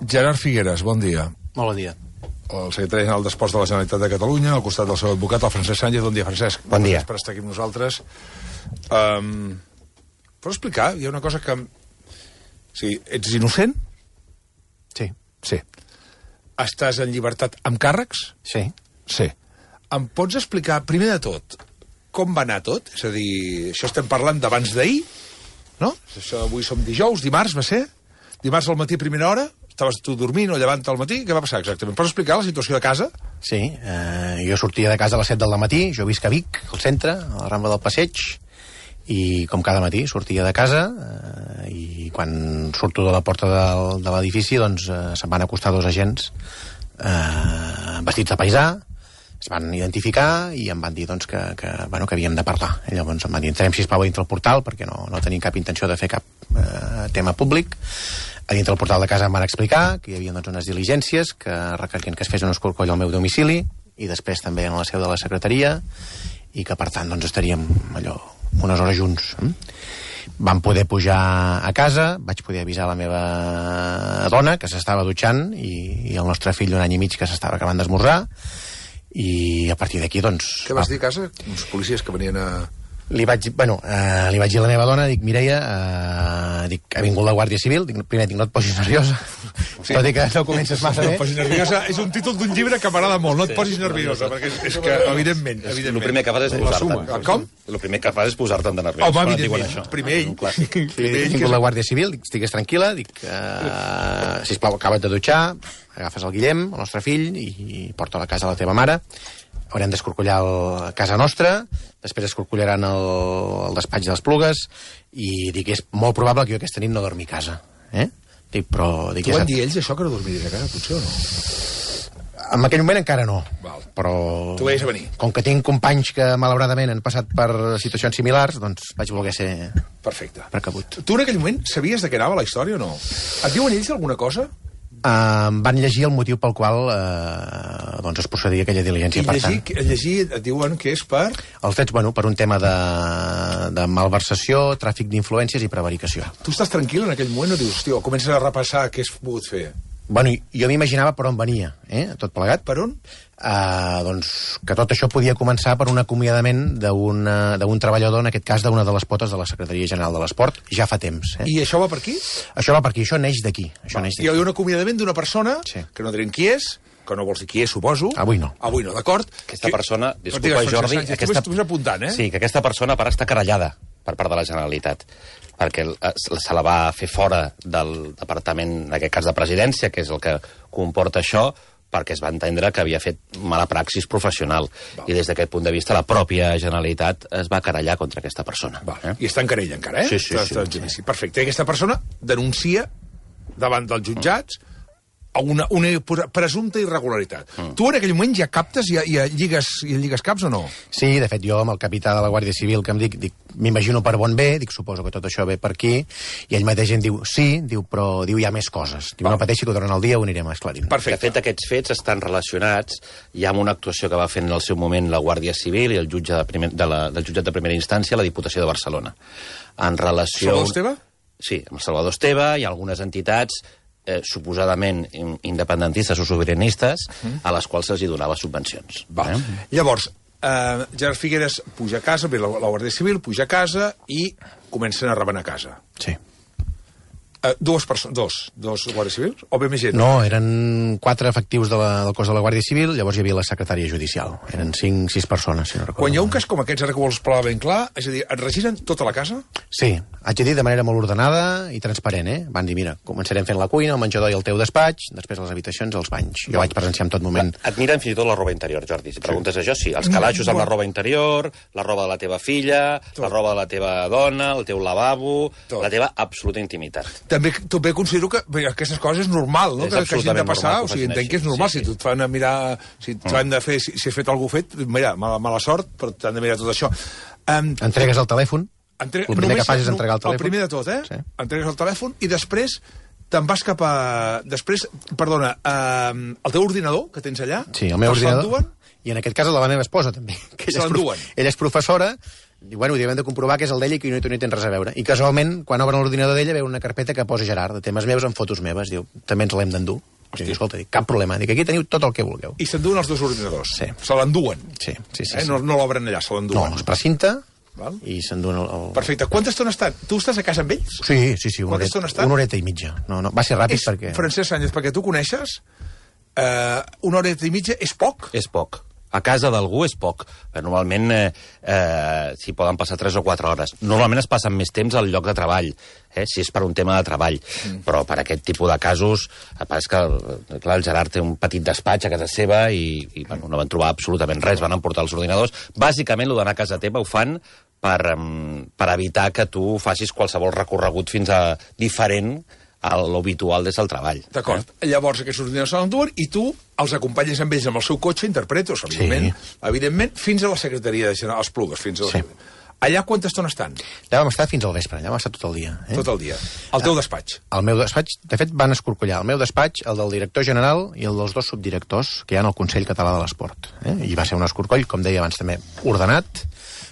Gerard Figueres, bon dia. Molt bon dia. El secretari general d'Esports de la Generalitat de Catalunya, al costat del seu advocat, el Francesc Sánchez. Bon dia, Francesc. Bon dia. Gràcies per estar aquí amb nosaltres. Pots explicar? Hi ha una cosa que... Sí, ets innocent? Sí. Sí. Estàs en llibertat amb càrrecs? Sí. Sí. Em pots explicar, primer de tot, com va anar tot? És a dir, això estem parlant d'abans d'ahir, no? Això, avui som dijous, dimarts va ser? Dimarts al matí, primera hora? Estaves tu dormint o llevant al matí? Què va passar exactament? Pots explicar la situació de casa? Sí, jo sortia de casa a les 7 del matí, jo visc a Vic, al centre, a la Rambla del Passeig, i com cada matí sortia de casa i quan surto de la porta de l'edifici doncs se'm van acostar dos agents vestits de paisà, es van identificar i em van dir doncs, que havíem de parlar. I llavors em van dir, entrem sisplau dintre el portal perquè no tenim cap intenció de fer cap tema públic. A dintre del portal de casa em van explicar que hi havia doncs, unes diligències que requerien que es fes un escorcoll al meu domicili i després també en la seu de la secretaria i que per tant doncs, estaríem allò unes hores junts. Vam poder pujar a casa, vaig poder avisar la meva dona que s'estava dutxant i el nostre fill d'un any i mig que s'estava acabant d'esmorzar i a partir d'aquí doncs... Què vas dir a casa? Uns policies que venien a... Li vaig dir a la meva dona, dic, Mireia, ha vingut la Guàrdia Civil, primer dic, no et posis nerviosa, sí. Però dic que no comences massa bé. No et posis nerviosa, és un títol d'un llibre que m'agrada molt, no et posis nerviosa, perquè és que, evidentment... El primer que fas és posar-te. Com? El primer que fas és posar-te'n de nerviós. Home, evidentment, primer ell. Ha vingut la Guàrdia Civil, dic, estigues tranquil·la, dic, sisplau, acaba't de dutxar, agafes el Guillem, el nostre fill, i porta a la casa a la teva mare. Haurem d'escorcollar a casa nostra, després escorcollaran el despatx de les Plugues, i dic, és molt probable que jo aquesta nit no dormi a casa. Dic, però... T'ho van dir ells, això, que no dormiries a casa, potser, o no? En aquell moment encara no. Val. Però... Tu veies a venir. Com que tinc companys que, malauradament, han passat per situacions similars, doncs vaig voler ser... Perfecte. Precabut. Tu en aquell moment sabies de què anava la història o no? Et diuen ells alguna cosa? Van llegir el motiu pel qual doncs es procedia aquella diligència. I llegir et diuen que és per... Els fets, per un tema de malversació, tràfic d'influències i prevaricació. Tu estàs tranquil en aquell moment o dius, hòstia, comences a repassar què has pogut fer? Jo m'imaginava per on venia, tot plegat. Per on? Doncs que tot això podia començar per un acomiadament d'un treballador, en aquest cas d'una de les potes de la Secretaria General de l'Esport, ja fa temps. I això va per aquí? Això va per aquí, això neix d'aquí. Hi ha un acomiadament d'una persona, que no direm qui és, que no vols dir qui és, suposo. Avui no. Avui no, d'acord? Aquesta persona, disculpa, Jordi... Estàs apuntant, Sí, que aquesta persona per estar querellada per part de la Generalitat, perquè se la va fer fora del departament, en aquest cas de presidència, que és el que comporta això, perquè es va entendre que havia fet mala praxis professional. I des d'aquest punt de vista la pròpia Generalitat es va querellar contra aquesta persona. I està en querella encara, Sí. Perfecte. I aquesta persona denuncia davant dels jutjats una presumpta irregularitat. Tu en aquell moment ja captes, ja lligues caps o no? Sí, de fet, jo amb el capità de la Guàrdia Civil que em dic m'imagino per bon bé, dic, suposo que tot això ve per aquí, i ell mateix em diu, sí, però hi ha més coses. Diu, no pateixi que durant el dia ho anirem esclarint. Perfecte. De fet, aquests fets estan relacionats ja amb una actuació que va fer en el seu moment la Guàrdia Civil i el jutge del jutjat de primera instància, la Diputació de Barcelona. En relació... Salvador Esteve? Sí, amb Salvador Esteve i algunes entitats suposadament independentistes o sobiranistes a les quals se'ls donava subvencions. Llavors, Gerard Figueres puja a casa, ve la Guàrdia Civil, puja a casa i comencen a rebenar a casa. Sí. Dos guàrdies civils? O bé més gent? No, eren 4 efectius del cos de la Guàrdia Civil, llavors hi havia la secretària judicial. Eren 5-6 persones, si no recordo. Quan hi ha un cas com aquests, ara que vols parlar ben clar, és a dir, et registren tota la casa? Sí, haig de dir de manera molt ordenada i transparent, Van dir, mira, començarem fent la cuina, el menjador i el teu despatx, després les habitacions, els banys. Jo vaig presenciar en tot moment. Et miren fins i tot la roba interior, Jordi. Si preguntes això, sí. Els calaixos amb la roba interior, la roba de la teva filla, la roba de la teva dona, el teu lavabo, la teva absoluta intimitat. També considero que aquestes coses és normal, no? Que hagin de passar, o sigui, entenc que és normal. Si et fan a mirar, si t'han de fer, si has fet alguna fet, mira, mala sort, però t'han de mirar tot això. Entregues el telèfon, el primer que fas és entregar el telèfon. El primer de tot, entregues el telèfon i després te'n vas cap a... Després, perdona, el teu ordinador que tens allà... Sí, el meu ordinador. I en aquest cas la meva esposa, també. Se l'enduen. Ella és professora Diu, bueno, hem de comprovar que és el d'ella i que no hi tens res a veure. I casualment, quan obren l'ordinador d'ella, veu una carpeta que posa Gerard, de temes meus amb fotos meves. Diu, també ens l'hem d'endur. I diu, escolta, cap problema. Dic, aquí teniu tot el que vulgueu. I s'enduen els 2 ordinadors? Sí. Se l'enduen? Sí. No l'obren allà, se l'enduen? No, es precinta Val. i s'enduen el... Perfecte. Quanta estona estan? Tu estàs a casa amb ells? Sí, Quanta estona estan? una horeta i mitja. No, va ser ràpid perquè... Francesc Sánchez, perquè tu coneixes, una horeta i mitja és poc? És poc. A casa d'algú és poc. Normalment s'hi poden passar 3 o 4 hores. Normalment es passen més temps al lloc de treball, si és per un tema de treball. Però per aquest tipus de casos, és que clar, el Gerard té un petit despatx a casa seva i bueno, no van trobar absolutament res, van emportar els ordinadors. Bàsicament, el d'anar a casa teva ho fan per evitar que tu facis qualsevol recorregut fins a diferent a l'habitual des del treball. D'acord. Llavors aquests ordinadors se l'enduen i tu els acompanyes amb ells amb el seu cotxe, interpretos, evidentment, fins a la secretaria de General, als Plugues, fins a la... Allà quanta estona estan? Allà vam estar fins al vespre, allà vam estar tot el dia. Tot el dia. El teu despatx? El meu despatx, de fet, van escorcollar el meu despatx, el del director general i el dels 2 subdirectors que hi ha al Consell Català de l'Esport. I va ser un escorcoll, com deia abans també, ordenat.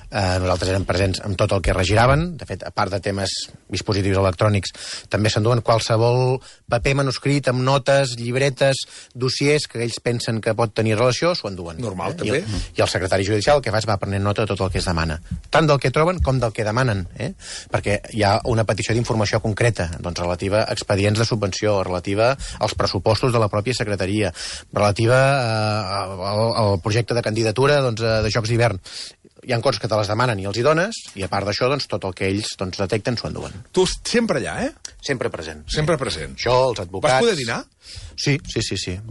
Nosaltres érem presents amb tot el que regiraven. De fet, a part de temes dispositius electrònics, també s'enduen qualsevol paper manuscrit amb notes, llibretes, dossiers que ells pensen que pot tenir relació, s'ho enduen. Normal, també. I el secretari judicial el que fa és va prenent nota de tot el que es demana. Tant del que troben com del que demanen, perquè hi ha una petició d'informació concreta, doncs relativa a expedients de subvenció, relativa als pressupostos de la pròpia secretaria, relativa al projecte de candidatura de Jocs d'hivern. Hi ha coses que te les demanen i els hi dones, i a part d'això, tot el que ells detecten s'ho enduen. Tu sempre allà, Sempre present. Sempre present. Això, els advocats... Vas poder dinar? Sí.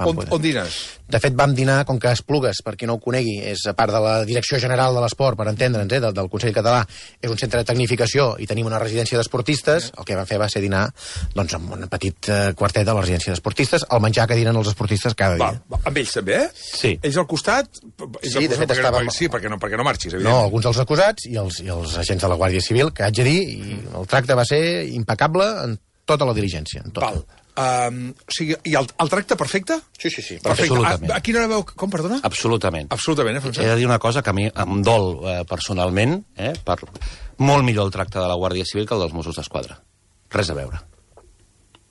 On dines? De fet, vam dinar, com que Esplugues, per qui no ho conegui, és a part de la Direcció General de l'Esport, per entendre'ns, del Consell Català, és un centre de tecnificació i tenim una residència d'esportistes, el que vam fer va ser dinar amb un petit quartet de la residència d'esportistes, el menjar que diren els esportistes cada dia. Amb ells també, Sí. Ells al costat? Sí, de fet estàvem... Sí, perquè no marxis, evidentment. No, alguns dels acusats i els agents de la Guàrdia Civil, que haig de dir, i el tracte va ser impecable en tota la diligència. En tota. Val. O sigui, i el tracte perfecte? Sí. Perfecte. Absolutament. A quina hora veu... Com, perdona? Absolutament. Absolutament, Francesc. He de dir una cosa que a mi em dol personalment, per molt millor el tracte de la Guàrdia Civil que el dels Mossos d'Esquadra. Res a veure.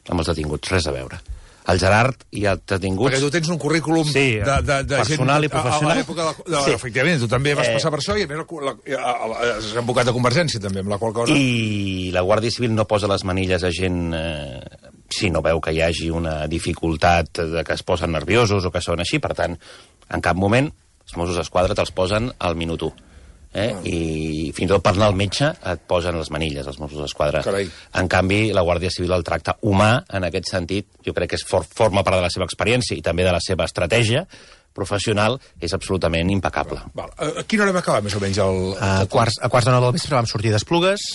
Amb els detinguts, res a veure. El Gerard i els detinguts... Perquè tu tens un currículum sí, de personal gent, i professional. A l'època sí. Efectivament, tu també vas passar per això i a més és advocat de Convergència també, amb la qual cosa... I la Guàrdia Civil no posa les manilles a gent si no veu que hi hagi una dificultat de que es posen nerviosos o que són així. Per tant, en cap moment els Mossos d'Esquadra te'ls posen al minut 1. I fins i tot per anar al metge et posen les manilles, els Mossos d'Esquadra. Carai. En canvi, la Guàrdia Civil el tracte humà, en aquest sentit, jo crec que forma part de la seva experiència i també de la seva estratègia professional, és absolutament impecable. Val. A quina hora va acabar, més o menys, A quarts de 9 del vespre vam sortir d'Esplugues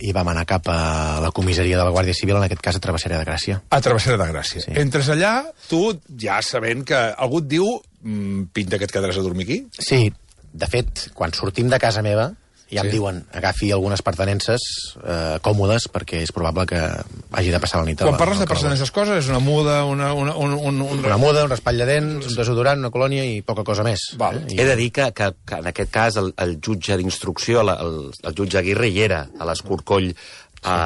i vam anar cap a la comissaria de la Guàrdia Civil, en aquest cas a Travessera de Gràcia. A Travessera de Gràcia. Sí. Entres allà, tu ja sabent que algú et diu pinta que et quedaràs a dormir aquí? Sí, de fet, quan sortim de casa meva, ja em diuen, agafi algunes pertenences còmodes, perquè és probable que hagi de passar la nit. Quan parles de pertenences coses, és una muda, una muda, un raspall de dents, un desodorant, una colònia i poca cosa més. Val. He de dir que en aquest cas el jutge d'instrucció, el jutge Aguirre, hi era a l'Escorcoll a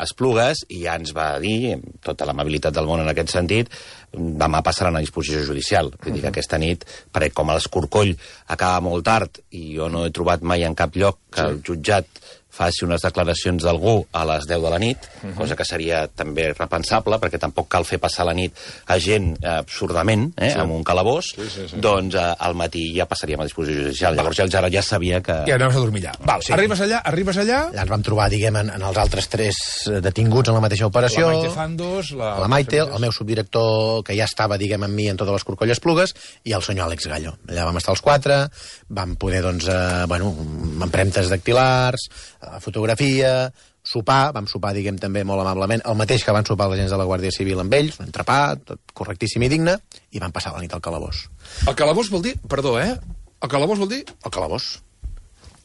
Esplugues i ja ens va dir, amb tota l'amabilitat del món en aquest sentit, demà passaran a disposició judicial. Vull dir que aquesta nit, perquè com l'Escorcoll acaba molt tard i jo no he trobat mai en cap lloc que el jutjat faci unes declaracions d'algú a les 10 de la nit, cosa que seria també repensable, perquè tampoc cal fer passar la nit a gent absurdament, amb un calabós, doncs al matí ja passaríem a disposició judicial. Llavors ja el Gerard ja sabia que... I anaves a dormir allà. Val, sí. Arribes allà... Allà ens vam trobar, diguem, en els altres 3 detinguts en la mateixa operació. La Maite Fandos... La Maite, el meu subdirector, que ja estava, diguem, amb mi en totes les Corcolles Plugues, i el senyor Àlex Gallo. Allà vam estar els 4, vam poder, doncs, empremtes dactilars, fotografia, sopar, vam sopar, diguem, també molt amablement, el mateix que van sopar els agents de la Guàrdia Civil amb ells, un entrepà, tot correctíssim i digne, i van passar la nit al calabós. El calabós vol dir... Perdó, El calabós vol dir... El calabós.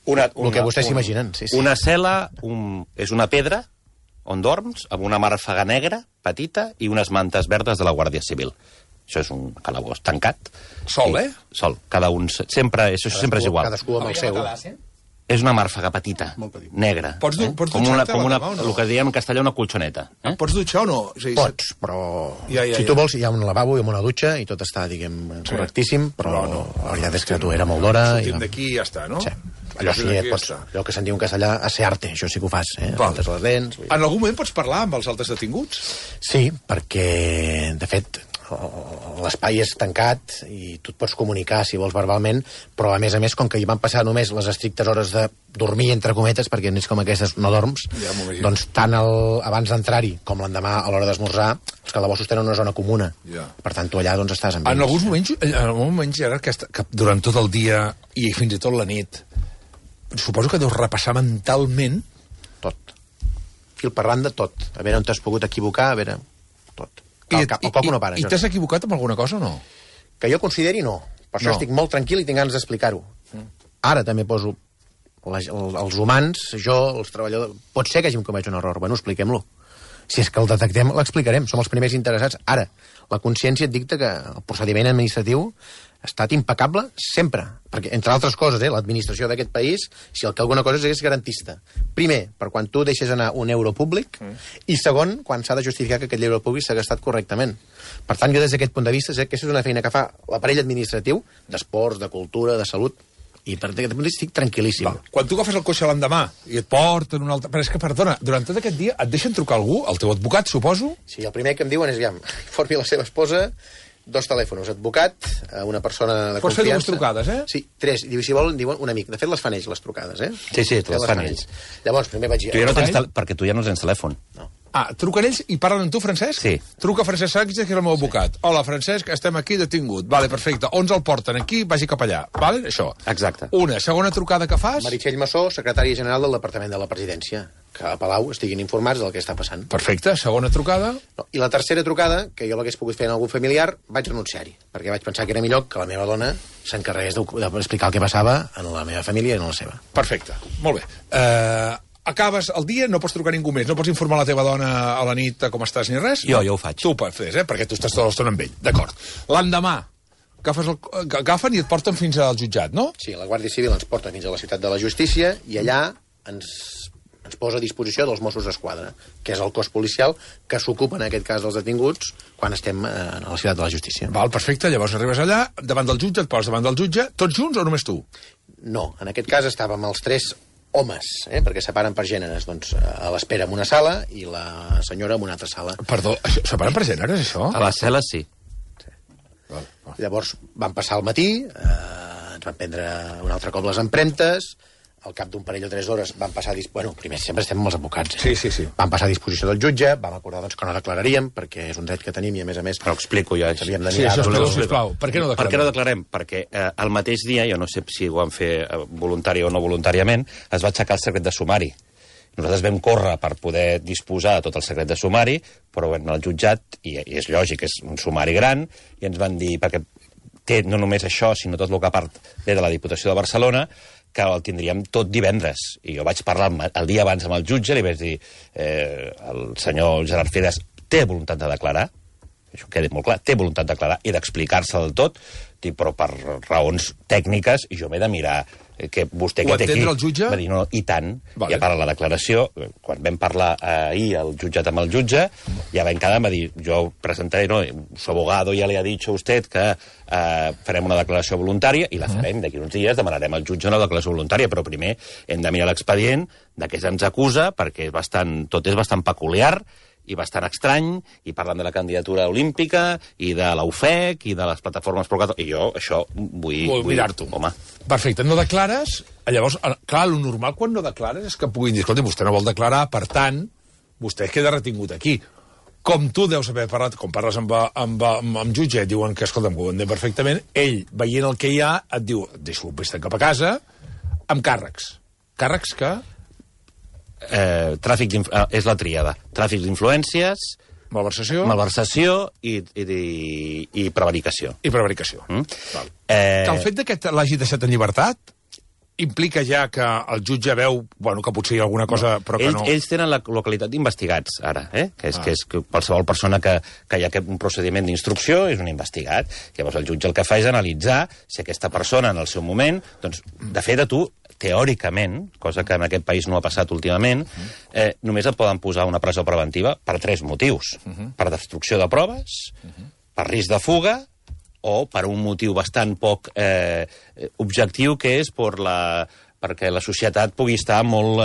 El que vostès s'imaginen, sí. Una cel·la és una pedra on dorms, amb una màrfega negra, petita, i unes mantes verdes de la Guàrdia Civil. Això és un calabós tancat. Sol, Sol. Cada un... Sempre, això sempre és igual. Cadascú amb el seu. És una màrfega petita, negra. Pots com el que diem en castellà, una colxoneta. Pots dutxar o no? Pots, però si tu vols, hi ha un lavabo i una dutxa i tot està, diguem, correctíssim, però la veritat és que tu era molt d'hora. Sortim d'aquí i ja està, no? Sí. Allò sí, allò que se'n diu en castellà, asearte, això sí que ho fas, Faltes les dents. En algun moment pots parlar amb els altres detinguts? Sí, perquè, de fet, l'espai és tancat i tu et pots comunicar, si vols, verbalment, però, a més, com que hi van passar només les estrictes hores de dormir, entre cometes, perquè nits com aquestes no dorms, doncs tant abans d'entrar-hi com l'endemà a l'hora d'esmorzar, els calabossos tenen una zona comuna. Per tant, tu allà doncs estàs amb ells. En alguns moments, Gerard, que durant tot el dia i fins i tot la nit, suposo que deus repassar mentalment... Tot. Fil per randa, tot. A veure on t'has pogut equivocar, a veure... Tot. El coco no para. I t'has equivocat amb alguna cosa o no? Que jo consideri, no. Per això estic molt tranquil i tinc ganes d'explicar-ho. Ara també poso els humans, jo, els treballadors... Pot ser que hàgim comès un error. Bueno, expliquem-lo. Si és que el detectem, l'explicarem. Som els primers interessats. Ara, la consciència et dicta que el procediment administratiu ha estat impecable sempre. Perquè, entre altres coses, l'administració d'aquest país, si el que alguna cosa és garantista. Primer, per quan tu deixes anar un euro públic, i segon, quan s'ha de justificar que aquest euro públic s'ha gastat correctament. Per tant, jo des d'aquest punt de vista sé que aquesta és una feina que fa l'aparell administratiu d'esports, de cultura, de salut, i per aquest punt de vista estic tranquil·líssim. Quan tu agafes el cotxe l'endemà i et porten un altre... Però és que, perdona, durant tot aquest dia et deixen trucar algú, el teu advocat, suposo? Sí, el primer que em diuen és, informi la seva esposa, 2 telèfons, advocat, una persona de confiança... Pots fer 2 trucades, Sí, 3, i si volen, diuen un amic. De fet, les fan ells, les trucades, Sí, les fan ells. Llavors, primer vaig dir... Perquè tu ja no tens telèfon. No. Truquen ells i parlen amb tu, Francesc? Sí. Truca Francesc Sánchez, que és el meu advocat. Hola, Francesc, estem aquí detingut. Vale, perfecte. On el porten? Aquí, vagi cap allà. Vale? Això. Exacte. Una. Segona trucada que fas? Meritxell Massó, secretària general del Departament de la Presidència. Que a Palau estiguin informats del que està passant. Perfecte. Segona trucada. No. I la tercera trucada, que jo l'hagués pogut fer en algun familiar, vaig renunciar-hi. Perquè vaig pensar que era millor que la meva dona s'encarregués d'explicar el que passava en la meva família i en la seva. Perfecte. Molt bé. Acabes el dia, no pots trucar ningú més, no pots informar la teva dona a la nit com estàs ni res? Jo ho faig. Tu ho fes, perquè tu estàs tota l'estona amb ell. D'acord. L'endemà, agafen i et porten fins al jutjat, no? Sí, la Guàrdia Civil ens porta fins a la Ciutat de la Justícia i allà ens posa a disposició dels Mossos d'Esquadra, que és el cos policial que s'ocupa en aquest cas dels detinguts quan estem a la Ciutat de la Justícia. Val, perfecte, llavors arribes allà, davant del jutge, et poses davant del jutge, tots junts o només tu? No, en aquest cas estàvem els 3 homes, perquè separen per gèneres, doncs, a l'espera en una sala i la senyora en una altra sala. Perdó, separen per gèneres, això? A les cel·les, sí. Llavors van passar al matí, ens van prendre un altre cop les empremtes, al cap d'un parell o 3 hores van passar... Bueno, primer sempre estem amb els advocats. Sí. Van passar a disposició del jutge, vam acordar doncs, que no declararíem, perquè és un dret que tenim i, a més... Però ho explico jo. Sí, això sisplau. Per què no declarem? Per què no declarem? Perquè el mateix dia, jo no sé si ho van fer voluntari o no voluntàriament, es va aixecar el secret de sumari. Nosaltres vam córrer per poder disposar de tot el secret de sumari, però vam anar al jutjat, i és lògic, és un sumari gran, i ens van dir, perquè té no només això, sinó tot el que a part ve de la Diputació de Barcelona, que el tindríem tot divendres. I jo vaig parlar el dia abans amb el jutge, li vaig dir, el senyor Gerard Figueras té voluntat de declarar, això queda molt clar, té voluntat de declarar i d'explicar-se del tot, però per raons tècniques jo m'he de mirar que vostè que té aquí... el jutge? Va dir, no, i tant. Vale. I a part de la declaració, quan vam parlar ahir al jutjat amb el jutge, ja vam quedar, va dir, jo presentaré, no, su abogado ja li ha dit a usted que farem una declaració voluntària i la farem d'aquí uns dies, demanarem al jutge una declaració voluntària, però primer hem de mirar l'expedient de què se'ns acusa, perquè tot és bastant peculiar i bastant estrany, i parlant de la candidatura olímpica, i de l'UFEC, i de les plataformes pro... I jo això vull mirar-t'ho. Home. Perfecte, no declares... Llavors, clar, el normal quan no declares és que puguin dir, escolta, vostè no vol declarar, per tant, vostè queda retingut aquí. Com tu deus haver parlat, com parles amb jutge, et diuen que, escolta, ho entenc perfectament, ell, veient el que hi ha, et diu, deixo vés-te'n cap a casa, amb càrrecs. Càrrecs que... és la tríada. Tràfic d'influències, malversació i prevaricació. I prevaricació. Que el fet que l'hagi deixat en llibertat implica ja que el jutge veu que potser hi ha alguna cosa, però que no... Ells tenen la qualitat d'investigats, ara, que és que qualsevol persona que hi ha un procediment d'instrucció és un investigat. Llavors el jutge el que fa és analitzar si aquesta persona en el seu moment, doncs, de fet, a tu, teòricament, cosa que en aquest país no ha passat últimament, només et poden posar una presó preventiva per 3 motius. Per destrucció de proves, per risc de fuga, o per un motiu bastant poc objectiu, que és perquè la societat pugui estar molt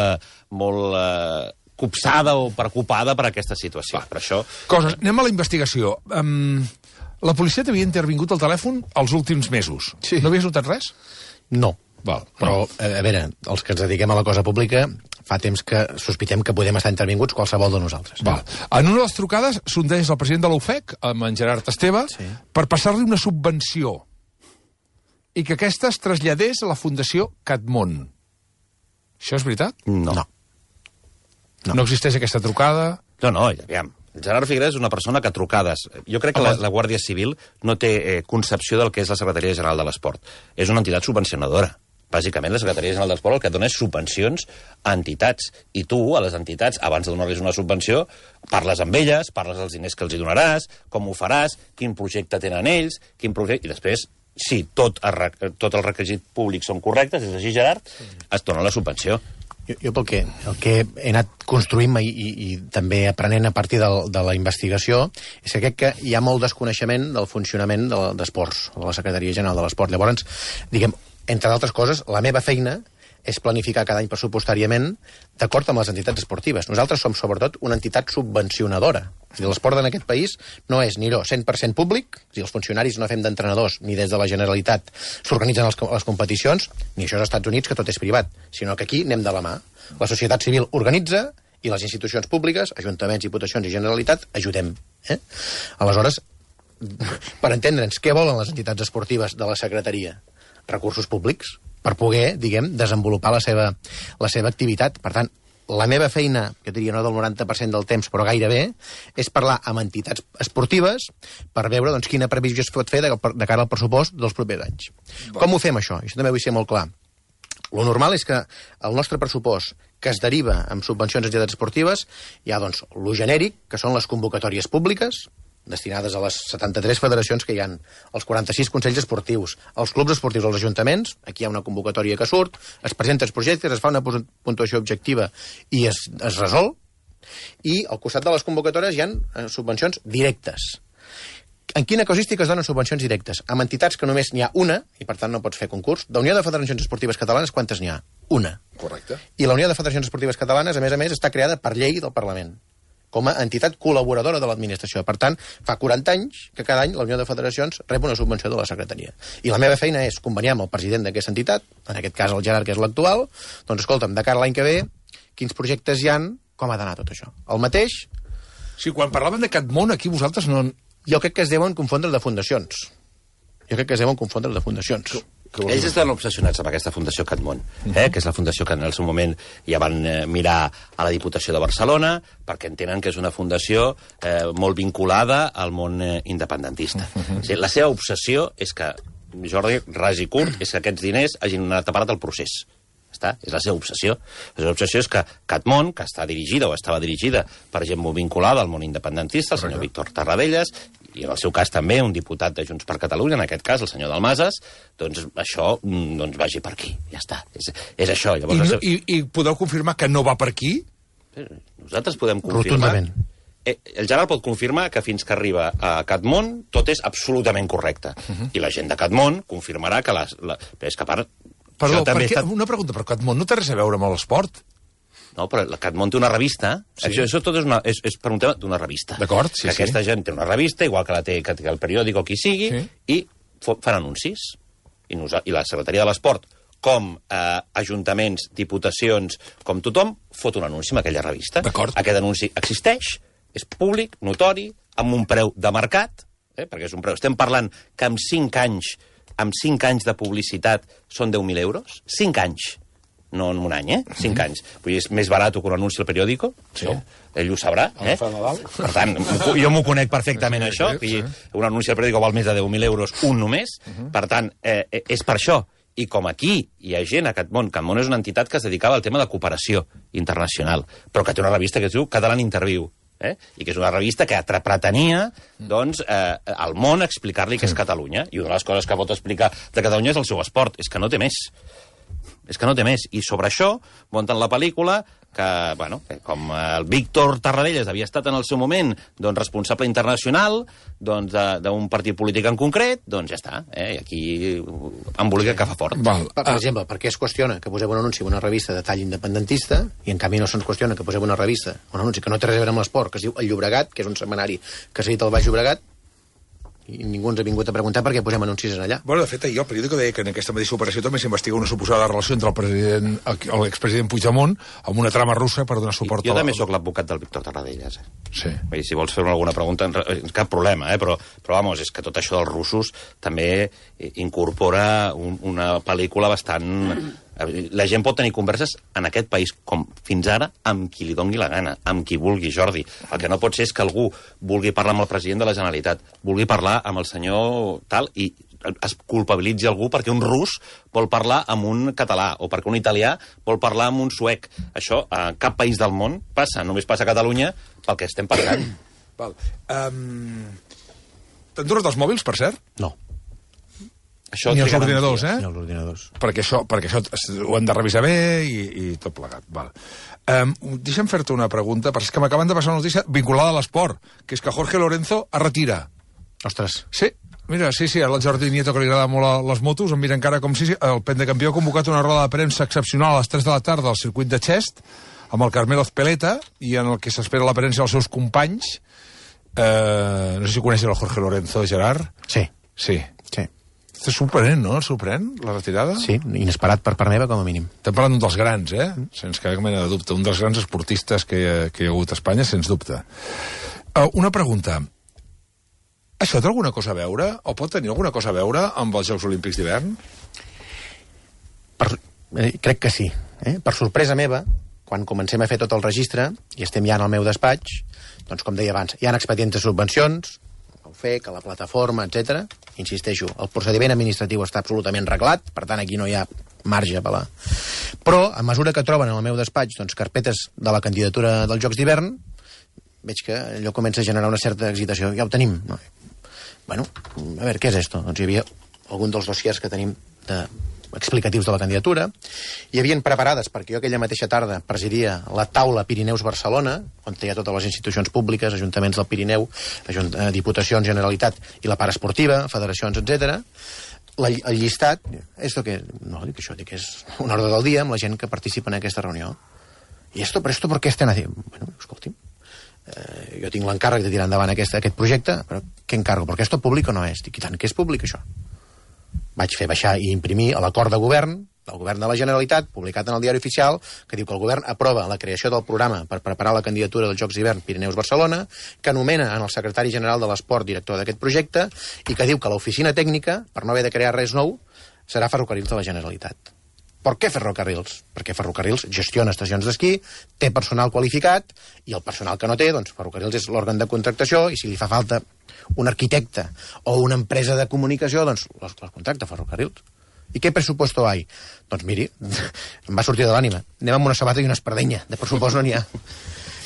copsada o preocupada per aquesta situació. Per això... Anem a la investigació. La policia t'havia intervingut al telèfon els últims mesos. Sí. No havies notat res? No. Val. Però, a veure, els que ens dediquem a la cosa pública fa temps que sospitem que podem estar intervinguts qualsevol de nosaltres. Val. En una de les trucades sondeix el president de l'UFEC, amb en Gerard Esteve, per passar-li una subvenció i que aquesta es traslladés a la Fundació Catmon. Això és veritat? No. No existeix aquesta trucada? No, aviam. El Gerard Figueres és una persona que a trucades... Jo crec que la Guàrdia Civil no té concepció del que és la Secretaria General de l'Esport. És una entitat subvencionadora. Bàsicament, la Secretaria General de l'Esport el que dona és subvencions a entitats. I tu, a les entitats, abans de donar-los una subvenció, parles amb elles, parles dels diners que els hi donaràs, com ho faràs, quin projecte tenen ells, i després, si tot el requisit públic són correctes, és així, Gerard, es dona la subvenció. Jo el que he anat construint i també aprenent a partir de la investigació és que crec que hi ha molt desconeixement del funcionament d'esports, de la Secretaria General de l'Esport. Llavors, diguem, entre d'altres coses, la meva feina és planificar cada any pressupostàriament d'acord amb les entitats esportives. Nosaltres som, sobretot, una entitat subvencionadora. És a dir, l'esport en aquest país no és ni 100% públic, és a dir, els funcionaris no fem d'entrenadors, ni des de la Generalitat s'organitzen les competicions, ni això als Estats Units, que tot és privat, sinó que aquí anem de la mà. La societat civil organitza i les institucions públiques, ajuntaments, diputacions i Generalitat, ajudem. Aleshores, per entendre'ns, què volen les entitats esportives de la secretaria? Recursos públics per poder, diguem, desenvolupar la seva activitat. Per tant, la meva feina, jo diria no del 90% del temps, però gairebé, és parlar amb entitats esportives per veure doncs, quina previsió es pot fer de cara al pressupost dels propers anys. Com ho fem, això? Això també vull ser molt clar. Lo normal és que el nostre pressupost que es deriva amb subvencions a entitats esportives hi ha, doncs, lo genèric, que són les convocatòries públiques, destinades a les 73 federacions que hi ha, els 46 consells esportius, els clubs esportius, els ajuntaments, aquí hi ha una convocatòria que surt, es presenten els projectes, es fa una puntuació objectiva i es resol, i al costat de les convocatòries hi ha subvencions directes. En quina casuística es donen subvencions directes? Amb entitats que només n'hi ha una, i per tant no pots fer concurs. D'Unió de Federacions Esportives Catalanes, quantes n'hi ha? Una. Correcte. I la Unió de Federacions Esportives Catalanes, a més, està creada per llei del Parlament, com a entitat col·laboradora de l'administració. Per tant, fa 40 anys que cada any la Unió de Federacions rep una subvenció de la secretaria. I la meva feina és conveniar amb el president d'aquesta entitat, en aquest cas el Gerard, que és l'actual, doncs escolta'm, de cara a l'any que ve, quins projectes hi han, com ha d'anar tot això. El mateix... Sí, quan parlaven de Catmon, aquí vosaltres no... Jo crec que es deuen confondre de fundacions. Ells estan obsessionats amb aquesta Fundació Catmon, que és la fundació que en el seu moment ja van mirar a la Diputació de Barcelona, perquè entenen que és una fundació molt vinculada al món independentista. O sigui, la seva obsessió és que, Jordi, ras i curt, és que aquests diners hagin anat a parat al procés. És la seva obsessió. La seva obsessió és que Catmon, que està dirigida o estava dirigida per gent molt vinculada al món independentista, el senyor Víctor Tarradellas, i en el seu cas també un diputat de Junts per Catalunya, en aquest cas el senyor Dalmases, doncs això vagi per aquí. Ja està. És això. Llavors, I podeu confirmar que no va per aquí? Nosaltres podem confirmar... Rotundament. El Gerard pot confirmar que fins que arriba a Catmon tot és absolutament correcte. I la gent de Catmon confirmarà que és que a part... Perdó, una pregunta, però Catmon no té res a veure amb l'esport? No, però la Catmon té una revista. Sí. Això tot és per un tema d'una revista. D'acord, sí, que aquesta gent té una revista, igual que la té el periòdic o qui sigui, i fan anuncis. I la Secretaria de l'Esport, com ajuntaments, diputacions, com tothom, fot un anunci en aquella revista. D'acord. Aquest anunci existeix, és públic, notori, amb un preu de mercat, perquè és un preu. Estem parlant que amb 5 anys de publicitat són 10.000 euros. 5 anys. No en un any, 5 anys. Vull dir, és més barat que un anunci al periòdico. Sí. Ell ho sabrà. Per tant, jo m'ho conec perfectament, això. Un anunci al periòdico val més de 10.000 euros, un només. Per tant, és per això. I com aquí hi ha gent a Catmón, Catmón és una entitat que es dedicava al tema de cooperació internacional, però que té una revista que es diu Catalan Interview, i que és una revista que pretenia, doncs, al món explicar-li què és Catalunya. I una de les coses que pot explicar de Catalunya és el seu esport. És que no té més. És que no té més. I sobre això munten la pel·lícula que, bueno, com el Víctor Tarradellas havia estat en el seu moment doncs, responsable internacional doncs, d'un partit polític en concret, doncs ja està. I aquí embolica que fa fort. Per exemple, per què es qüestiona que poseu un anunci en una revista de tall independentista i en canvi no se'ns qüestiona que poseu una revista, un anunci que no té res a veure amb l'esport, que es diu El Llobregat, que és un setmanari que s'ha dit al Baix Llobregat, i ningú ens ha vingut a preguntar per què posem anuncis allà. Bueno, de fet, ahir el periòdico deia que en aquesta mateixa operació també s'investiga una suposada relació entre el president, l'expresident Puigdemont amb una trama russa per donar suport Jo també sóc l'advocat del Víctor Tarradellas. Sí. I si vols fer alguna pregunta, cap problema, però vamos, és que tot això dels russos també incorpora una pel·lícula bastant... La gent pot tenir converses en aquest país, com fins ara, amb qui li doni la gana, amb qui vulgui, Jordi. El que no pot ser és que algú vulgui parlar amb el president de la Generalitat, vulgui parlar amb el senyor tal, i es culpabilitzi algú perquè un rus vol parlar amb un català, o perquè un italià vol parlar amb un suec. Això a cap país del món passa, només passa a Catalunya pel que estem parlant. Val. T'han donat els mòbils, per cert? No. Això ni els ordinadors, Ni els ordinadors. Perquè això ho hem de revisar bé i tot plegat. Val. Deixa'm fer-te una pregunta, perquè és que m'acaben de passar una notícia vinculada a l'esport, que és que Jorge Lorenzo es retira. Ostres. Sí, mira, sí, al Jordi Nieto, que li agrada molt les motos, em mira encara com si el Pentecampió ha convocat una roda de premsa excepcional a les 3 de la tarda al circuit de Xest, amb el Carmelo Ezpeleta, i en el que s'espera l'aparència dels seus companys. No sé si coneixes el Jorge Lorenzo, Gerard. Sí. Sí. És sorprenent, no? El sorprèn, la retirada? Sí, inesperat per part meva, com a mínim. Estem parlant d'un dels grans, sense cap mena de dubte. Un dels grans esportistes que hi ha hagut a Espanya, sens dubte. Una pregunta. Això té alguna cosa a veure, o pot tenir alguna cosa a veure amb els Jocs Olímpics d'hivern? Crec que sí. Per sorpresa meva, quan comencem a fer tot el registre, i estem ja en el meu despatx, doncs, com deia abans, hi ha expedients de subvencions, el FEC, a la plataforma, etc. Insisteixo, el procediment administratiu està absolutament reglat, per tant, aquí no hi ha marge a apel·lar. Però, a mesura que troben en el meu despatx doncs, carpetes de la candidatura dels Jocs d'hivern, veig que allò comença a generar una certa excitació. Ja ho tenim. No? Bueno, a veure, què és esto? Doncs hi havia algun dels dossiers que tenim explicatius de la candidatura. Hi havien preparades, perquè jo aquella mateixa tarda presidia la taula Pirineus-Barcelona, on hi ha totes les institucions públiques, ajuntaments del Pirineu, Diputacions, Generalitat i la part esportiva, federacions, etc. El llistat, dic és un ordre del dia amb la gent que participa en aquesta reunió. I ¿por qué están haciendo? Bueno, escolti'm, jo tinc l'encàrrec de tirar endavant aquest projecte, però què encargo? Perquè esto públic no és. Dic, i tant, què és públic, això? Vaig fer baixar i imprimir l'acord de govern del govern de la Generalitat, publicat en el Diari Oficial, que diu que el govern aprova la creació del programa per preparar la candidatura dels Jocs d'hivern Pirineus-Barcelona, que anomena en el secretari general de l'Esport director d'aquest projecte i que diu que l'oficina tècnica, per no haver de crear res nou, serà Ferrocarrils de la Generalitat. Per què Ferrocarrils? Perquè Ferrocarrils gestiona estacions d'esquí, té personal qualificat, i el personal que no té, doncs Ferrocarrils és l'òrgan de contractació, i si li fa falta un arquitecte o una empresa de comunicació, doncs les contracta Ferrocarrils. I què pressuposto hi? Doncs miri, em va sortir de l'ànima. Anem amb una sabata i una espardenya. De pressupost no n'hi ha.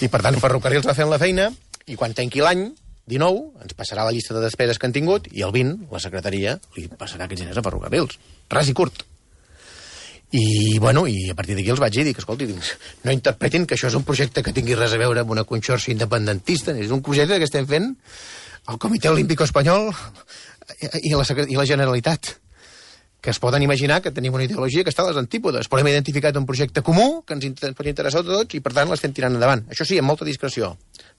I per tant, Ferrocarrils va fent la feina, i quan tanqui l'any 19, ens passarà la llista de despeses que han tingut, i el 20, la secretaria li passarà aquests diners a Ferrocarrils. Ras i curt. I, bueno, i a partir d'aquí els vaig dir que, escolti, no interpretin que això és un projecte que tingui res a veure amb una conxorxa independentista. És un projecte que estem fent el Comitè Olímpico Espanyol i la Generalitat, que es poden imaginar que tenim una ideologia que està a les antípodes, però hem identificat un projecte comú que ens pot interessar a tots i, per tant, l'estem tirant endavant. Això sí, amb molta discreció,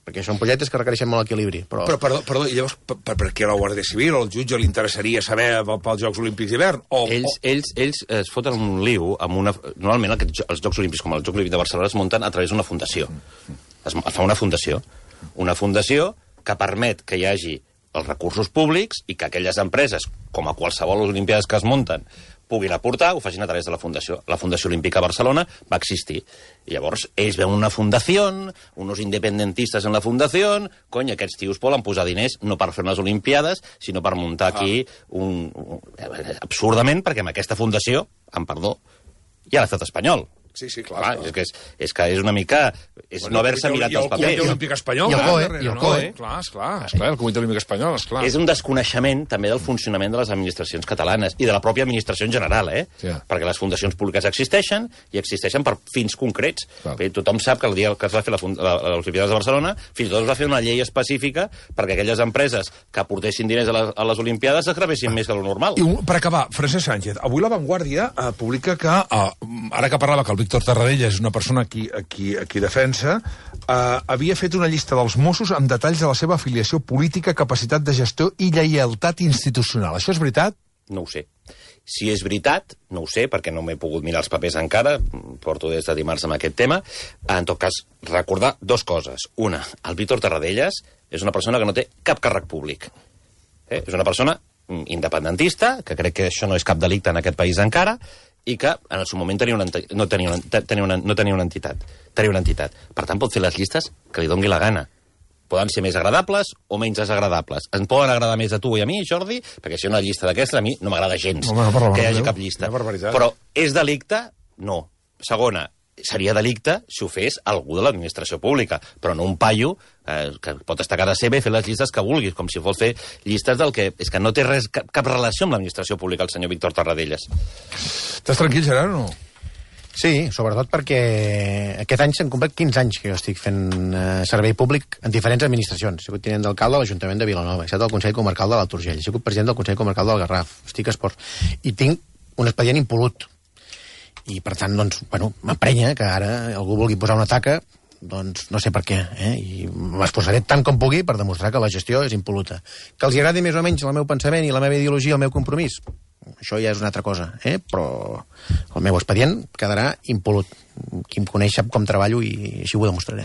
perquè són projectes que requereixen molt equilibri. Però perdó, i llavors, per què a la Guàrdia Civil o al jutge li interessaria saber pels Jocs Olímpics d'hivern? Ells es foten un liu amb una... Normalment els Jocs Olímpics, com els Jocs Olímpics de Barcelona, es munten a través d'una fundació. Es fa una fundació que permet que hi hagi els recursos públics i que aquelles empreses, com a qualsevol olimpiades que es munten, puguin aportar, ho facin a través de la Fundació. La Fundació Olímpica Barcelona va existir. I llavors, ells veuen una fundació, uns independentistes en la fundació, cony, aquests tios poden posar diners no per fer unes Olimpiades, sinó per muntar aquí absurdament, perquè amb aquesta fundació, amb perdó, hi ha l'estat espanyol. Sí, clar. És que és una mica... És no haver-se mirat els papers. I el Comitè Olímpic Espanyol. I el COE. Clar, el Comitè Olímpic Espanyol, esclar. És un desconeixement també del funcionament de les administracions catalanes i de la pròpia administració en general, Sí. Perquè les fundacions públiques existeixen i existeixen per fins concrets. Tothom sap que el dia que es va fer les Olimpiades de Barcelona, fins i tot es va fer una llei específica perquè aquelles empreses que aportessin diners a les Olimpiades es gravessin més que el normal. I per acabar, Francesc Sánchez, avui La Vanguardia publica que, ara que parlava que el Víctor Tarradellas és una persona qui defensa, havia fet una llista dels Mossos amb detalls de la seva afiliació política, capacitat de gestió i lleialtat institucional. Això és veritat? No ho sé. Si és veritat, no ho sé, perquè no m'he pogut mirar els papers encara, porto des de dimarts amb aquest tema. En tot cas, recordar dues coses. Una, el Víctor Tarradellas és una persona que no té cap càrrec públic. És una persona independentista, que crec que això no és cap delicte en aquest país encara, i que en el seu moment no tenia una entitat. Per tant, pot fer les llistes que li doni la gana. Poden ser més agradables o menys desagradables. Ens poden agradar més a tu i a mi, Jordi, perquè si hi ha una llista d'aquestes, a mi no m'agrada gens que hi hagi cap llista. Però és delicte? No. Segona, seria delicte si ho fes algú de l'administració pública, però no un paio que pot estar a casa seva i fer les llistes que vulguis, com si fos fer llistes del que... És que no té cap relació amb l'administració pública el senyor Víctor Tarradellas. Estàs tranquil, Gerard, o no? Sí, sobretot perquè aquest any s'han complet 15 anys que jo estic fent servei públic en diferents administracions. He sigut tinent d'alcalde de l'Ajuntament de Vilanova, he estat al Consell Comarcal de l'Alt Urgell, he sigut president del Consell Comarcal del Garraf, estic a Esports, i tinc un expedient impolut. I, per tant, doncs, bueno, m'emprenya que ara algú vulgui posar una taca, doncs no sé per què, i m'esforçaré tant com pugui per demostrar que la gestió és impoluta. Que els agradi més o menys el meu pensament i la meva ideologia, el meu compromís, això ja és una altra cosa, però el meu expedient quedarà impolut. Qui em coneix sap com treballo i així ho demostraré.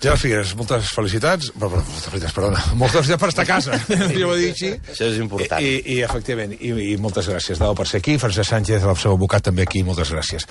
Gerard Figueres, moltes felicitats. Perdona. Moltes felicitats per estar a casa. Jo ho he dit així. Això és important. I efectivament, i moltes gràcies, Dau, per ser aquí. Francesc Sánchez, el seu advocat, també aquí. Moltes gràcies.